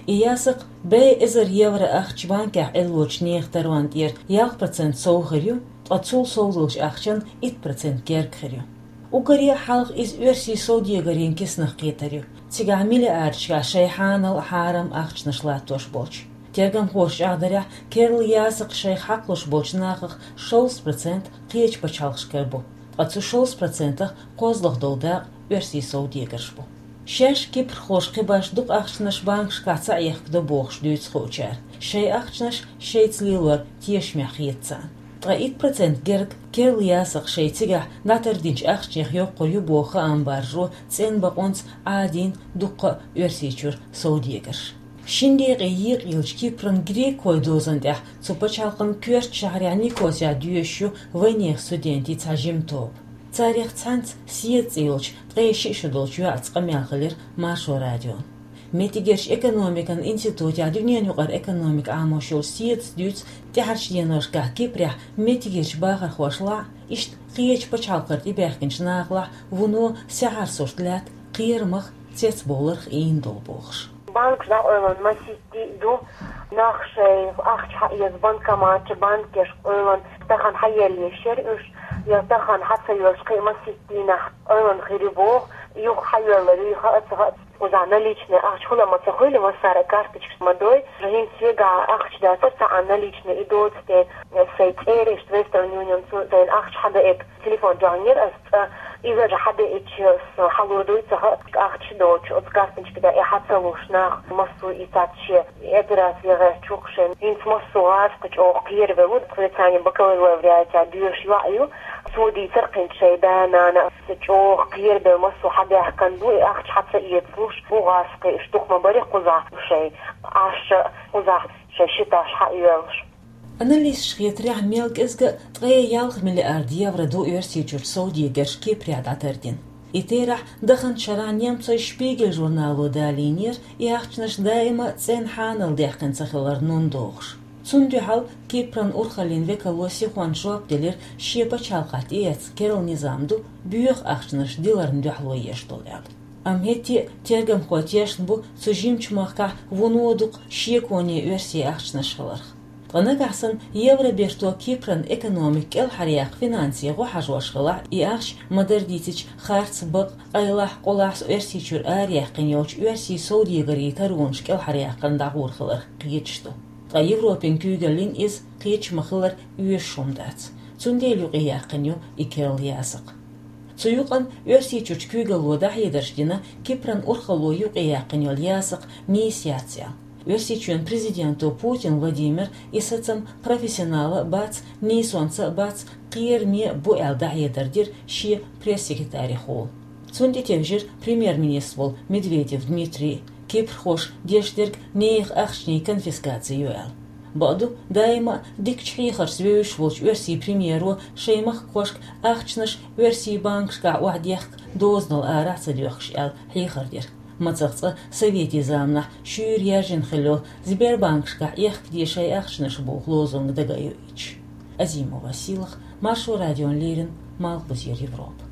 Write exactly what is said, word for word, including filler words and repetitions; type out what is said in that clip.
И ясакх бӀаь эзар евро ахча банкехь Ӏеллочу нехан таронна тӀера ялх процент сов хир ю, ткъа цул сов долчу ахчанна итт процент герга хир ю. Уггаре а хьалха иза оьрсийн совдегарийн киснах кхетар ю, цигахь миллиардашкахь шайн хьанал а, хьарам а ахчанаш латтош болчу. Тергамхоша чӀагӀдарехь, керла ясакх шайх хьакхалуш болчу нахах шовзткъа процент кхечу пачхьалкхашкара бу, ткъа цу шовзткъа процентах кхозлагӀа долу дакъа оьрсийн совдегарш бу. Шаьш кипрхоша кхибарш дукха ахчанаш банкашкахь ца Ӏехкадо бохуш дуьйцу хуучара. Шайн ахчанаш шайца лелор тешамехь хета царна. Ткъа итт процент герга керла ясакх шайн цигахь дӀатардинчу ахчанех йоккхур ю боху хаам баржо цӀена бакъонца Ӏадийна дуккха а Оьрсийчуьра совдегарш. Шина декъе екъаеллачу Кипран грекхойн дозан тӀехь цу пачхьалкхан коьртачу шахьарехь Никосехь доьшуш ю вайнехан студентийн цхьа жима тоба. Царех цхьаьнца Седа цӀе йолчу ткъе шиъ шо долчу йоӀаца къамел хилира Маршо радион. Меттигерчу экономикан институтехь дуьненан юкъара экономика Ӏамош йолчу Седас дуьйцу тӀаьхьарчу деношкахь Кипрехь меттигерчу бахархошлахь а, иштта кхечу пачхьалкхара тӀебаьхкинчу нахалахь вуно саьхьара сурт лаьтта кхерамах, цецбовларх ийна долу бохуш. Банкаш дӀакъевлина масийтта а ду, нах шайн ахча хьаэца банкоматчу, банкешка къевлина, тахана хьаелла еш яра уьш, я тахана хьа ца йоьллуш кхин а масийтта дийнахь къевлина хир ю боху, юха хьайоьллур ю, хаьа ца хаьа, кхузахь наличный ахча хуьлу ма ца хуьлу, массара а карточкаш ма дой, хӀинца вегахь ахча дацара цхьаъ наличный, и доцу тӀе, сайн цӀераш Western Union цу сайн ахча хьадеъча, телефон чохь йира ас цӀа, иза же хьадеъча, ас хьалур дуй ца хаьа, ахча доцуш, оцу карточка тӀе и хьа ца луш нах, массо а и цаьрца шен операци гӀерташ ву-кх шайн. ХӀинца массо а гӀазкхи чӀогӀа кхеравелла ву, тхоьца бакалавриатехь доьшуш йоӀ ю, цо дийцира кхин шайн да-нана, аса чӀогӀа кхерабелла массо а хьадаьхкина бу, и ахча хьа ца эцалуш бу гӀазкхи, уьш дукха ма барий кхузахь шайн Ӏаш а, кхузахь шайн ши таш хьаоьллуш. Аналисташ хетарехь, мел кӀезга а ткъе ялх миллиард евро ду Оьрсийчуьрчу совдегарша Кипрехь дӀатардина. И терахь даханчу шарахь немцойн Шпигель журнало далийнера, и ахчанаш даима а цӀена хьанал даьккхина ца хилар нун дохуш. Цунна дуьхьал Кипран урхаллин векало сихонца жоп делира, шен пачхьалкхехь тӀеэцна керла низам ду боьха ахчанаш диларна дуьхьало еш долу аьлла. Амма хӀетте а тергамхой тешна бу цу жимачу махкахь вуно дукха шеконе оьрсийн ахчанаш хиларх. Ткъа нагахь санна евро берто Кипран экономика кӀелхьаръяккха финансийн гӀо хьажош хилахь, и ахча ма-дарра дийцича харц, бакъ, къайлахь, къулахь Оьрсийчуьра араяьккхина йолчу оьрсийн совдегарийн таронаш кӀелхьаръяккхарна дӀагӀур хиларх кхеташ ду. Ткъа Европин куьйгаллин иза кхеташ ма-хиллара оьшуш хӀума дац. Цундела юкъаяьккхина ю и керла ясакх. Цу юкъана Оьрсийчуьрчу куьйгалло дӀахьедарш дина, Кипран урхалло юкъаяьккхина йолу ясакх нийса яц аьлла. Оьрсийчоьнан президенто Путин Владимира и сацам профессионал а бац, нийсонца а бац, кхераме а бу аьлла дӀахьедар дира шен пресс-секретарехула. Цунна тӀетевжира премьер-министр волу Медведев Дмитрий, кипрхоша деш дерг нехан ахчанийн конфискаци ю аьлла. Бакъду, даима а дикачу хьехаршца вевзаш волчу оьрсийн премьеро шайн махкахошка ахчанаш оьрсийн банкашкахь охьадехка дозанал арахь ца доьхкуш аьлла хьехар дира. Мацах цкъа советийн заманахь шуьйра яьржина хилла йолу «Сбербанкашкахь охьадехка шайн ахчанаш» боху лозунг дага а йоуьйтуш. Азимова Сийлаха, Маршо радиона леррина, Малхбузера Европа.